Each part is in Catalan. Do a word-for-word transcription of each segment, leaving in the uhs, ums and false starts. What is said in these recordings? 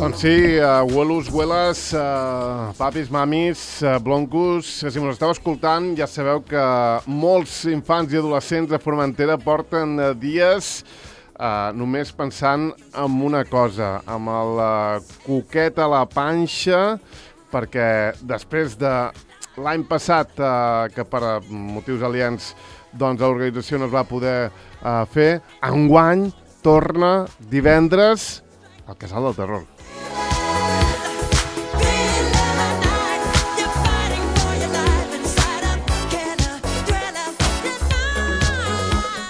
Doncs sí, uh, abuelos, abueles, uh, papis, mamis, uh, bloncos, si us esteu escoltant ja sabeu que molts infants i adolescents de Formentera porten uh, dies uh, només pensant en una cosa, amb el uh, coquet a la panxa, perquè després de l'any passat, uh, que per uh, motius aliens doncs, l'organització no es va poder uh, fer, enguany torna divendres al Casal del Terror.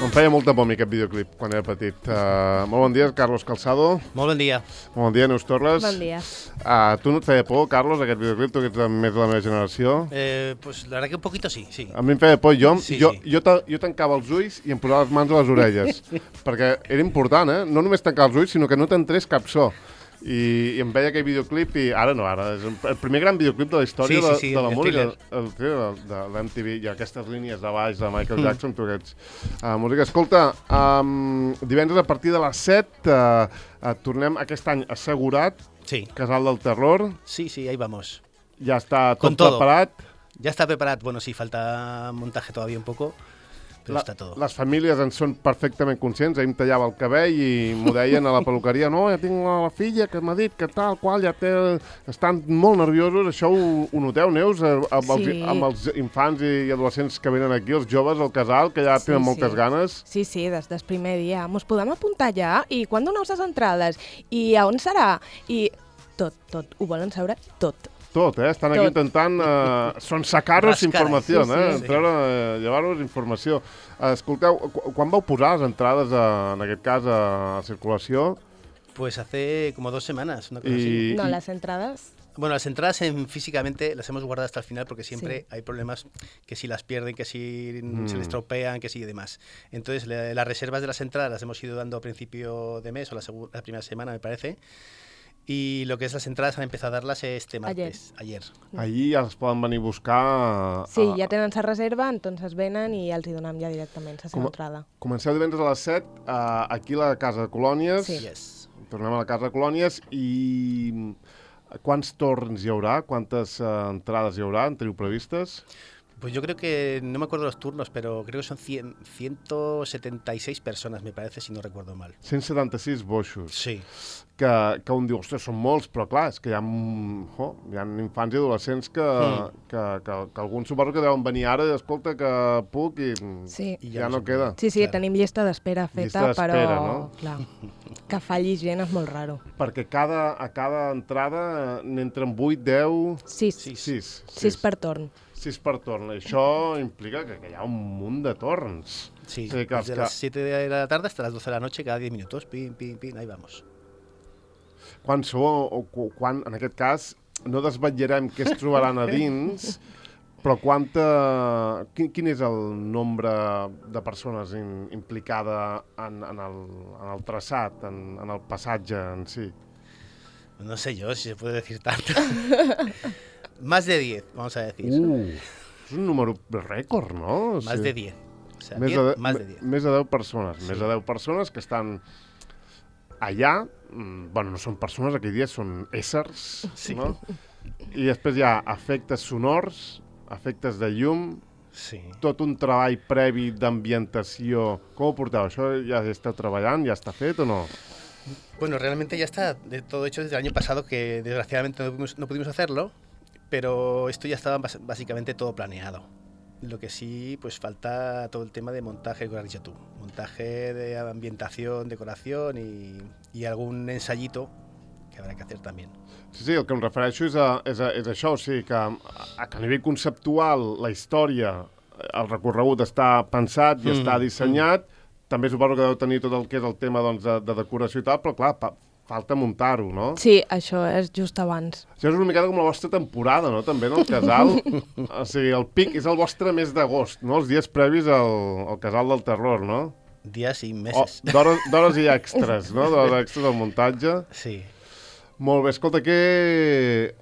Em feia molta por mi aquest videoclip quan era petit. Uh, molt bon dia, Carlos Calçado. Molt bon dia. Molt bon dia, Neus Torres. Bon dia. Uh, tu no et feia por, Carlos, aquest videoclip? Tu que ets més de la meva generació. Eh, pues la verdad que un poquito sí, sí. A mi em feia por. Jo, sí, jo, sí. jo, ta, jo tancava els ulls i em posava les mans a les orelles. Perquè era important, eh? No només tancar els ulls, sinó que no t'entrés cap so. I, i em veia aquell videoclip i ara no, ara és el primer gran videoclip de la història sí, sí, sí, de, de la el música, thriller. el thriller de l'M T V, i aquestes línies de baix de Michael mm. Jackson, tu aquests uh, música. Escolta, um, divendres a partir de les set uh, uh, tornem aquest any assegurat, Sí. Casal del Terror, Sí, sí, ahí vamos. ja està Con tot todo. preparat. Ya está preparado. Bueno, sí, falta montaje todavía un poco, pero La, está todo. les famílies en són perfectament conscients. Ahir em tallava el cabell i m'ho deien a la peluqueria. No, ja tinc la, la filla que m'ha dit que tal, qual, ja té... Estan molt nerviosos. Això ho, ho noteu, Neus, amb els, Sí. amb els infants i adolescents que venen aquí, els joves al casal, que ja Sí, tenen moltes sí. ganes. Sí, sí, des del primer dia. Mos podem apuntar ja? I quan doneu les entrades? I a on serà? I tot, tot. Ho volen saber tot. Tot, eh? Estan aquí Tot. intentant... Eh, són sacar-nos Rascar, informació, sí, sí. eh? Sí. Treure, eh, llevar-nos informació. Eh, escolteu, qu quan vau posar les entrades, a, en aquest cas, a, a circulació? Pues hace como dos semanas, una cosa Y- así. No, y- les entrades... Bueno, las entradas en, físicamente las hemos guardado hasta el final porque siempre Sí. hay problemas que si las pierden, que si Mm. se les tropean, que si y demás. Entonces, la- las reservas de las entradas las hemos ido dando a principio de mes o la, segu- la primera semana, me parece. Y lo que es las entradas han empezado a darlas este martes, ayer. Ahir ja es poden venir a buscar... Sí, a, ja tenen la reserva, entonces venen i els hi donem ja directament la seva Com a- entrada. Comenceu divendres a les set, uh, aquí a la Casa de Colònies. Sí. Yes. Tornem a la Casa de Colònies i quants torns hi haurà? Quantes uh, entrades hi haurà? En teniu previstes? Pues yo creo que, no me acuerdo los turnos, pero creo que son cien, ciento setenta y seis personas, me parece, si no recuerdo mal. cent setanta-sis boixos. Sí. Que, que un diu, ostres, són molts, però clar, és que hi ha, mm, oh, hi ha infants i adolescents que, Mm. que, que, que alguns suposo que deuen venir ara i escolta que puc i mm, Sí. I ja ja no no se queda. Sí, sí, Claro. tenim llista d'espera Llista feta, d'espera, però... no? Clar, que falli gent és molt raro. Perquè cada, a cada entrada eh, n'entren vuit, deu... Sis. Sí. sis. Sis per torn. sis per torn. Això implica que, que hi ha un munt de torns. Sí, Sí, que els desde que- las siete de la tarde hasta las doce de la noche, cada diez minutos, pin, pin, pin, ahí vamos. Quan sou, o cu- quan, en aquest cas, no desvetllarem què es trobaran a dins, però quanta... Quin, quin és el nombre de persones in, implicada en, en, el, en el traçat, en, en el passatge en si? No sé yo si se puede decir tanto. Más de diez, vamos a decir. Uh, és un número rècord, no? O Más sigui, de diez. O sea, Més diez, de, más de me- diez. Més de deu persones. Sí. Més de deu persones que estan allà. mm, Bueno, no són persones, aquell dia són éssers, Sí. no? I després hi ha efectes sonors, efectes de llum, Sí. tot un treball previ d'ambientació. Com ho porteu? Això ja esteu treballant? Ja està fet o no? Bueno, realmente ya está de todo hecho desde el año pasado, que desgraciadamente no pudimos, no pudimos hacerlo, pero esto ya estaba bas- básicamente todo planeado. Lo que sí, pues falta todo el tema de montaje, como has dicho tú. Montaje de ambientación, decoración y, y algún ensayito que habrá que hacer también. Sí, sí, el que em refereixo és, a, és, a, és això, o sigui, que a, a nivell conceptual, la història, el recorregut està pensat i Mm, està dissenyat, també suposo que deu tenir tot el que és el tema doncs, de, de decoració i tal, però clar, pa, falta muntar-ho, no? Sí, això és just abans. Això és una miqueta com la vostra temporada, no?, també, en el casal. O sigui, el pic és el vostre mes d'agost, no?, els dies previs al, al Casal del Terror, no? Días y O meses. d'hores d'hores i extras, no?, d'hores extras del muntatge. Sí. Molt bé, escolta, que...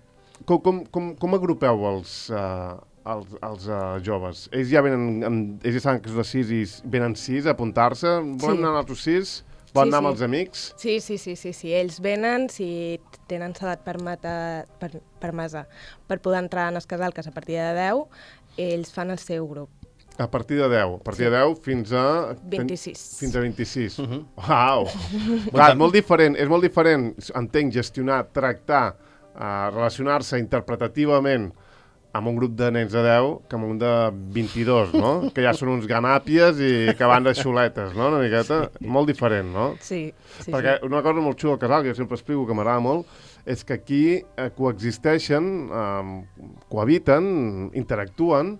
com, com, com, com agrupeu els, uh, els, els uh, joves? Ells ja venen, amb, ells ja saben que és de sis i s- venen sis a apuntar-se? Volem Sí. anar a nosaltres sis? Pot Sí, anar amb sí. els amics? Sí, sí, sí, sí, sí. Ells venen, si tenen edat permeta, per, permesa per poder entrar en el casal, que és a partir de deu, ells fan el seu grup. A partir de deu. A partir Sí. de deu fins a... vint-i-sis. Fins a vint-i-sis. Uh -huh. Uau! Clar, és molt diferent, és molt diferent, entenc, gestionar, tractar, uh, relacionar-se interpretativament amb un grup de nens de deu que amb un de vint-i-dos, no? Que ja són uns ganàpies i que van de xuletes, no? Una miqueta. Sí. Molt diferent, no? Sí, sí, Perquè sí. una cosa molt xula al casal, que jo sempre explico, que m'agrada molt, és que aquí eh, coexisteixen, eh, cohabiten, interactuen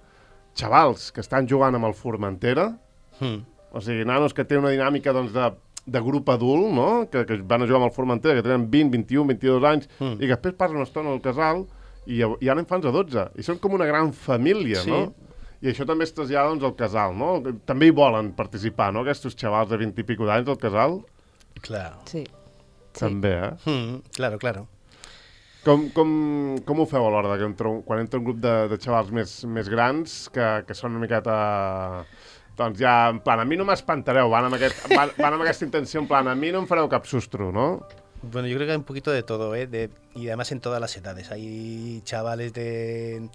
xavals que estan jugant amb el Formentera, Mm. o sigui, nanos que tenen una dinàmica doncs, de, de grup adult, no? que, que van a jugar amb el Formentera, que tenen vint, vint-i-un, vint-i-dos anys, Mm. i que després passen una estona al casal i hi ha, hi ha infants de dotze, i són com una gran família, Sí. no? I això també es trasllada doncs, al casal, no? També hi volen participar, no?, aquests xavals de vint i pico d'anys al casal. Claro. Sí. Sí. També, eh? Mm, claro, claro. Com, com, com ho feu a l'hora de que entra, un- quan entra un grup de, de xavals més, més grans que, que són una miqueta... Doncs ja, en plan, a mi no m'espantareu, van, amb aquest, van, van amb aquesta intenció, en plan, a mi no em fareu cap sustro, no? Bueno, yo creo que hay un poquito de todo, ¿eh? De, y además en todas las edades. Hay chavales de,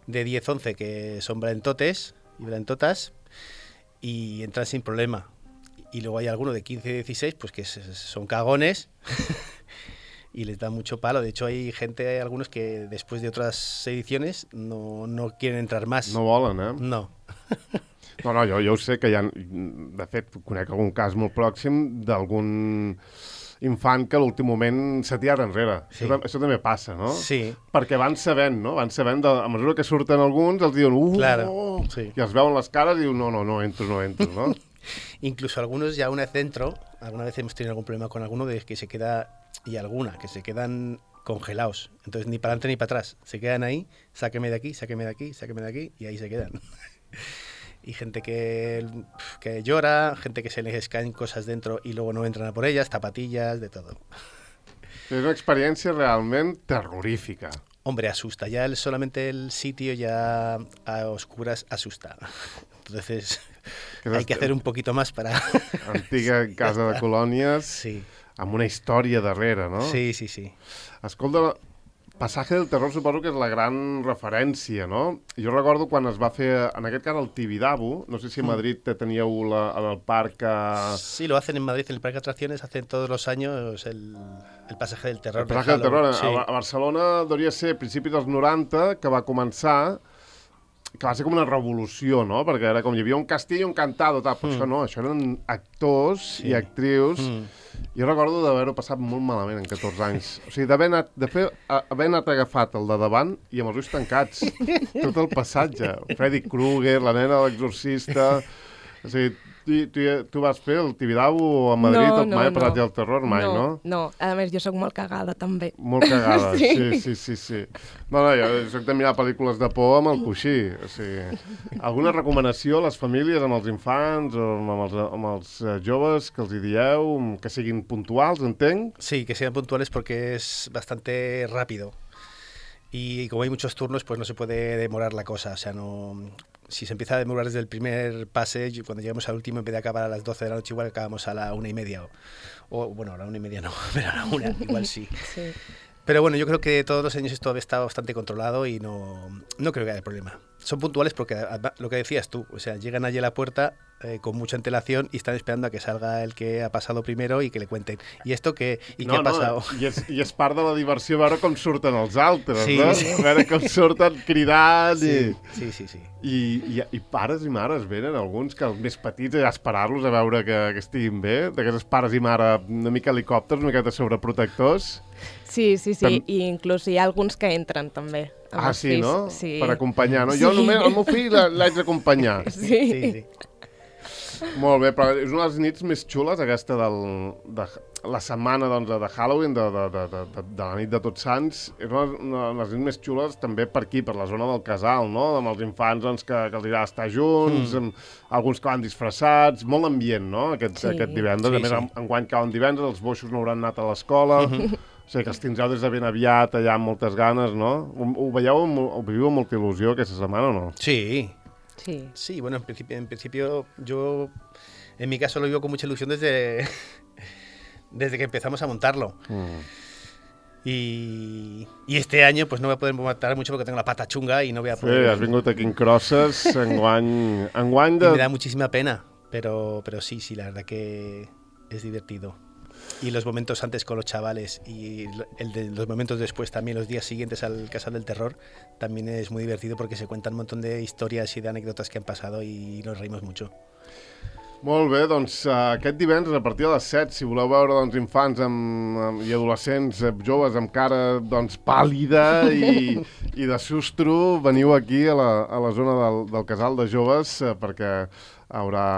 de diez, once que son valentotes y valentotas y entran sin problema. Y luego hay algunos de quince, dieciséis pues que s- son cagones y les da mucho palo. De hecho, hay gente, hay algunos que después de otras ediciones no, no quieren entrar más. No volen, eh? No. No, no, jo, jo ho sé que hi ha... De fet, conec algun cas molt pròxim d'algun infant que a l'últim moment s'ha tirat enrere. Sí. Això, tam- això també passa, no? Sí, Perquè van sabent, no? Van sabent, de, a mesura que surten alguns, els diuen uh, Claro, oh, sí. i els veuen les cares i diuen no, no, no entro, no entro, no? incluso algunos ya una vez dentro, alguna vez hemos tenido algún problema con alguno de que se queda, y alguna, que se quedan congelados. Entonces ni para adelante ni para atrás. Se quedan ahí, sáqueme de aquí, sáqueme de aquí, sáqueme de aquí, y ahí se quedan. Y gente que, que llora, gente que se les caen cosas dentro y luego no entran a por ellas, zapatillas, de todo. És una experiència realment terrorífica. Hombre, asusta. Ya el, solamente el sitio ya a oscuras asusta. Entonces Que hay que hacer un poquito más para... Antiga casa de colònies Sí, amb una història darrere, no? sí, sí, sí. Escolta, Passatge del Terror suposo que és la gran referència, no? Jo recordo quan es va fer, en aquest cas, el Tibidabo, no sé si a Madrid te teníeu la, el parc... A... Sí, lo hacen en Madrid, en el Parque de Atracciones, hacen todos los años el, el pasaje del terror. El Passatge del Terror. Sí. A, a Barcelona devia ser a principis dels noranta que va començar, que va ser com una revolució, no? Perquè era com hi havia un castell i un cantado, tal. Però Mm. això no, això eren actors Sí. i actrius. Mm. Jo recordo d'haver-ho passat molt malament en catorze anys. O sigui, d'haver anat, de fer, a- haver anat agafat el de davant i amb els ulls tancats. Tot el passatge. Freddy Krueger, la nena de l'exorcista... O sigui, tu, tu, tu vas fer el Tibidabo a Madrid No, tot no, mai, no. Passatge del Terror mai, no? No, no. A més, jo sóc molt cagada, també. Molt cagada, sí, Sí. sí, sí, sí. No, no, jo soc de mirar pel·lícules de por amb el coixí. O sigui, alguna recomanació a les famílies, amb els infants o amb els, amb els eh, joves que els hi dieu, que siguin puntuals, entenc? Sí, que sean puntuales porque es bastante rápido. Y como hay muchos turnos, pues no se puede demorar la cosa. O sea, no... Si se empieza a demorar desde el primer pase, y cuando llegamos al último, en vez de acabar a las doce de la noche, igual acabamos a la una y media. O, o, bueno, a la una y media no, pero a la una igual sí. Sí. Pero bueno, yo creo que todos los años esto está bastante controlado y no, no creo que haya problema. Son puntuales porque además, lo que decías tú, o sea, llegan allí a la puerta eh, con mucha antelación y están esperando a que salga el que ha pasado primero y que le cuenten. ¿Y esto qué? ¿Y no, qué ha pasado? No, i és, i és part de la diversió veure com surten els altres, Sí, no? sí. Veure com surten cridant Sí, i... sí, sí, sí. I, i, I pares i mares venen, alguns que els més petits, a esperar-los a veure que, que estiguin bé, d'aquests pares i mare una mica helicòpters, una miqueta sobreprotectors. Sí, sí, sí. Tam- I inclús hi ha alguns que entren, també. amb Ah, els sí, fills. no? Sí. Per acompanyar, no? Jo Sí. només, el meu fill l'ha- l'haig d'acompanyar. Sí. Sí, sí. Molt bé, però és una de les nits més xules, aquesta del, de la setmana doncs, de Halloween, de, de, de, de, de, de la nit de Tots Sants. És una, una de les nits més xules també per aquí, per la zona del casal, no? Amb els infants doncs, que, que els agrada estar junts, mm. amb alguns que van disfressats, molt ambient, no? Aquest, Sí. aquest divendres. Sí, a més, sí. en, enguany cauen divendres, els boixos no hauran anat a l'escola. Mhm. O sigui, que els tindreu des de ben aviat, allà amb moltes ganes, no? Ho, ho veieu, amb, ho viviu amb molta il·lusió aquesta setmana o no? Sí, Sí. sí, bueno, en principio, en principio yo En mi caso lo vivo con mucha ilusión desde, desde que empezamos a montarlo. Mm. Y, y este año pues no voy a poder montar mucho porque tengo la pata chunga y no voy a poder... Sí, has vingut aquí en crosses, enguany, enguany de... Y me da muchísima pena, pero, pero sí, sí, la verdad que es divertido. Y los momentos antes con los chavales y el de los momentos después también, los días siguientes al Casal del Terror, también es muy divertido porque se cuentan un montón de historias y de anécdotas que han pasado y nos reímos mucho. Molt bé, doncs uh, aquest divendres a partir de les set, si voleu veure doncs, infants amb, amb, i adolescents eh, joves amb cara doncs, pàl·lida i, i de sustro, veniu aquí a la, a la zona del, del Casal de Joves eh, perquè haurà,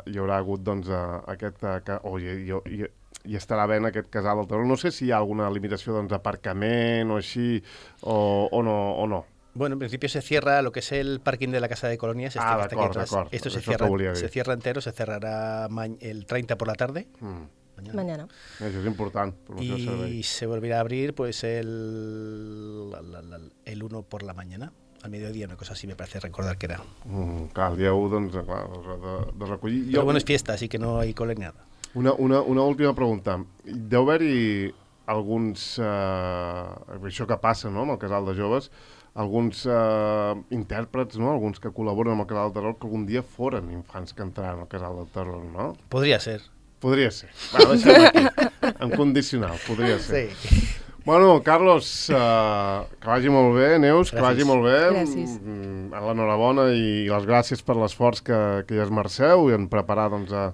hi haurà hagut doncs, uh, aquest... Uh, oh, i, i, i, i estarà ben aquest Casal del Terror. No sé si hi ha alguna limitació doncs, d'aparcament o així, o, o, no, o no. Bueno, en principio se cierra lo que es el parking de la Casa de Colonias. Este ah, que está aquí atrás. Esto se cierra, se cierra entero, se cerrará el treinta por la tarde. Mm. Mañana. Mañana. Eso es importante. Y se volverá a abrir pues el, el uno por la mañana. Al mediodía, una cosa así me parece recordar que era. Mm, clar, el dia u, doncs, clar, de, de recollir... Pero bueno, es fiesta, así que no hay cole ni nada. Una, una, una última pregunta. Deu haver-hi alguns... Eh, això que passa, no?, amb el Casal de Joves, alguns eh, intèrprets, no?, alguns que col·laboren amb el Casal del Terror, que algun dia foren infants que entraran al Casal del Terror, no? Podria ser. Podria ser. Va, deixem aquí. En condicional, podria ser. Sí. Bueno, Carlos, uh, que vagi molt bé, Neus, gràcies. Que vagi molt bé. Gràcies. Mm, l'enhorabona i les gràcies per l'esforç que, que hi esmerceu i en preparar doncs, a,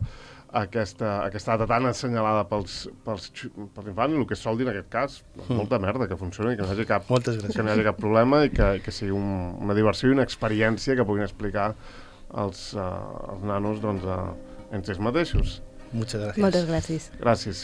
a aquesta, aquesta data tan assenyalada pels, pels, pels infants i el que es sol dir en aquest cas, mm. molta merda, que funcioni, que no hi hagi cap, que no hi hagi cap problema i que, que sigui un, una diversió i una experiència que puguin explicar als, uh, als nanos doncs, uh, en ells mateixos. Moltes gràcies. Moltes gràcies. Gràcies.